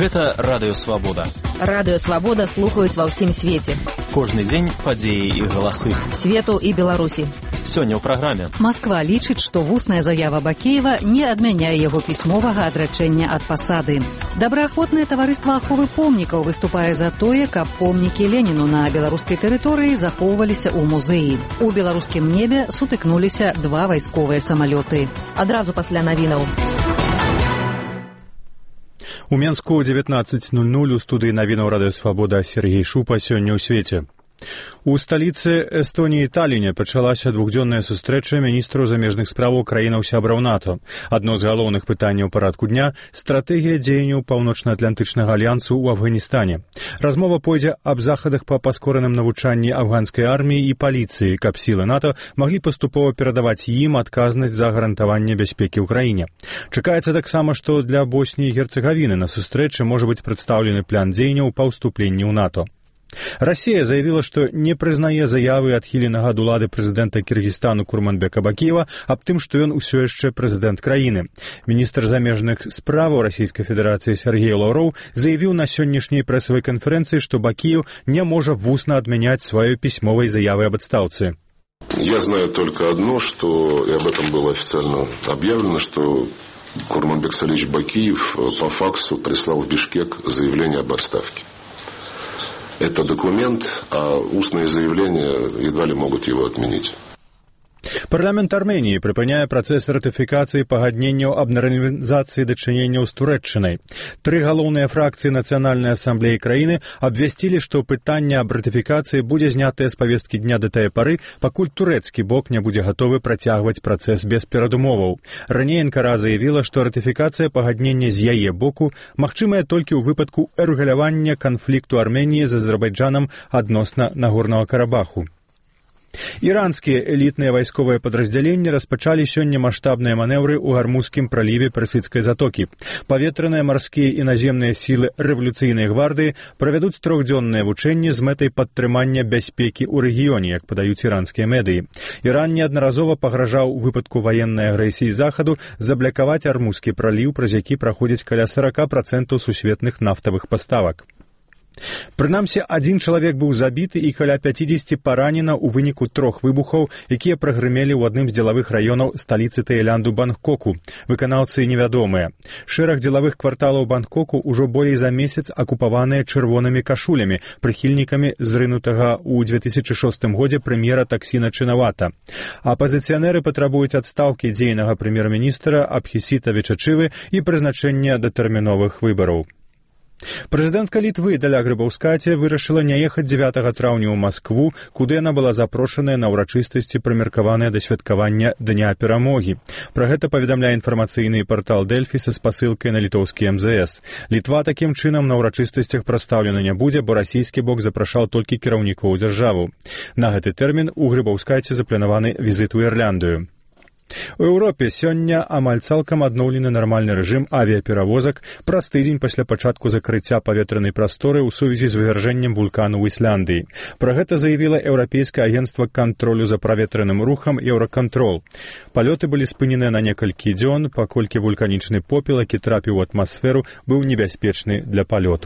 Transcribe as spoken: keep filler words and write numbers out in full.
Гэта Радыё Свабода. Радыё Свабода слухаюць ва ўсім свеце. Кожны дзень падзеі і галасы. Свету і Беларусі. Сёння ў праграме. Масква лічыць, што вусная заява Бакеева не адмяняе яго пісьмовага адрачэння ад пасады. Добраахвотнае таварыства аховы помнікаў выступае за тое, каб помнікі Леніну на беларускай тэрыторыі захоўваліся ў музеі. У беларускім небе сутыкнуліся два вайсковыя самалёты. Адразу пасля навінаў. У Менску дзевятнаццаць нуль нуль у студыі навінаў Радыё Свабода Сергей Шупа сёння ў свеце. У сталіцы Эстоніі Таліне пачалася двухдзённая сустрэча міністраў замежных справаў краінаў-сябраў НАТО. Адно з галоўных пытанняў парадку дня – стратэгія дзеянняў Паўночна-Атлантычнага альянсу ў Афганістане. Размова пойдзе аб захадах па паскораным навучанні афганскай арміі і паліцыі, каб сілы НАТО маглі паступова перадаваць ім адказнасць за гарантаванне бяспекі ў краіне. Чакаецца таксама, што для Босніі і Герцегавіны на сустрэчы можа быць прадстаўлены план дзеянняў па ўступленні ў НАТО. Расія заявіла, што не прызнае заявы адхіленага ад улады прэзідэнта Кіргізстану Курманбека Бакеева аб тым, што ён усё яшчэ прэзідэнт краіны. Міністр замежных справаў Расійскай Федэрацыі Сергей Лаўроў заявіў на сённяшняй прэсавай канферэнцыі, што Бакеев не можа вусна адмяняць сваёй пісьмовай заявы об отставке. Я знаю только одно, что, и об этом было официально объявлено, что Курманбек Салич Бакиев по факсу прислал в Бишкек заявление об отставке. Это документ, а устные заявления едва ли могут его отменить. Парламент Арменіі прыпыняе працэс ратыфікацыі пагадненняў аб нармалізацыі дачыненняў з Турэччынай. Тры галоўныя фракцыі Нацыянальнай асамблеі краіны абвясцілі, што пытанне аб ратыфікацыі будзе знятае з павесткі дня да тае пары, пакуль турэцкі бок не будзе гатовы працягваць працэс без перадумоваў. Раней Анкара заявіла, што ратыфікацыя пагаднення з яе боку магчымая толькі ў выпадку рэгулявання канфлікту Арменіі з Азербайджанам адносна Нагорнага Карабаху. Іранскія элітныя вайсковыя падраздзяленні распачалі сёння маштабныя манеўры ў Гармузскім праліве Персідскай затокі. Паветраныя, марскія і наземныя сілы рэвалюцыйнай гвардыі правядуць трохдзённыя вучэнні з мэтай падтрымання бяспекі ў рэгіёне, як падаюць іранскія медыі. Іран неаднаразова пагражаў у выпадку ваеннай агрэсіі захаду заблакаваць Гармузскі праліў, праз які праходзіць каля сорок процентаў сусветных нафтавых паставак. Прынамсі, адзін чалавек быў забіты і каля пяцідзесяці паранена ў выніку трох выбухаў, якія прагрымелі ў адным з дзелавых раёнаў сталіцы Таілянду Бангкоку. Выканаўцы невядомыя. Шэраг дзелавых кварталаў Бангкоку ўжо болей за месяц акупаваныя чырвонымі кашулямі, прыхільнікамі зрынутага ў две тысячы шостым годзе прэм'ера Таксіна Чынавата. Апазіцыянеры патрабуюць адстаўкі дзейнага прэм'ер-міністра Абхісіта Вечачывы і прызначэння датэрміновых выбараў. Прэзідэнтка Літвы Даля Грыбаўскаце вырашыла не ехаць дзевятага траўня ў Маскву, куды яна была запрошаная на ўрачыстасці, прымеркаваныя да святкавання Дня перамогі. Пра гэта паведамляе інфармацыйны партал Дэльфі са спасылкай на літоўскі эм зэ эс. Літва такім чынам на ўрачыстасцях прадстаўлена не будзе, бо расійскі бок запрашаў толькі кіраўнікоў дзяржаву. На гэты тэрмін у Грыбаўскаце запланаваны візіт у Ірландыю. У Еўропе сёння амаль цалкам адноўлены нармальны рэжым авіяперавозак праз тыдзень пасля пачатку закрыцця паветранай прасторы ў сувязі з вывяржэннем вулкану ў Ісландыі. Пра гэта заявіла Еўрапейскае агенцтва кантролю за праветраным рухам Еўракантрол. Палёты былі спыненыя на некалькі дзён, паколькі вулканічны попел, які трапіў у атмасферу, быў небяспечны для палёту.